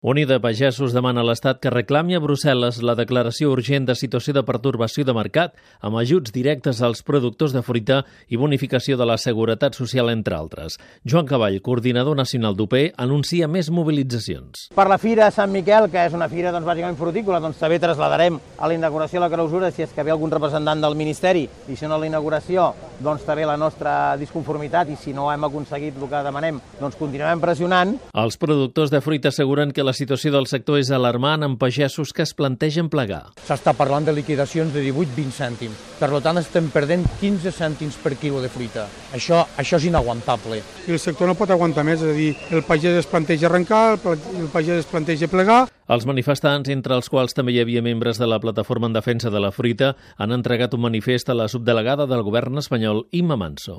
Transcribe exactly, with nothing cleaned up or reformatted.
Unida a Pagesos demana a l'Estat que reclami a Brussel·les la declaració urgent de situació de pertorbació de mercat amb ajuts directes als productors de fruita i bonificació de la Seguretat Social, entre altres. Joan Caball, coordinador nacional d'U P, anuncia més mobilitzacions. Per la Fira Sant Miquel, que és una fira doncs, bàsicament frutícola, doncs també traslladarem a la inauguració a la clausura si és que ve algun representant del Ministeri i si no a la inauguració, doncs també la nostra disconformitat i si no hem aconseguit el que demanem, doncs continuem pressionant. Els productors de fruita asseguren que la situació del sector és alarmant amb pagesos que es plantegen plegar. S'està parlant de liquidacions de divuit a vint cèntims. Per tant, estem perdent quinze cèntims per quilo de fruita. Això, això és inaguantable. I el sector no pot aguantar més, és a dir, el pagès es planteja arrencar, el pagès es planteja plegar. Els manifestants, entre els quals també hi havia membres de la Plataforma en Defensa de la Fruita, han entregat un manifest a la subdelegada del govern espanyol, Imma Manso.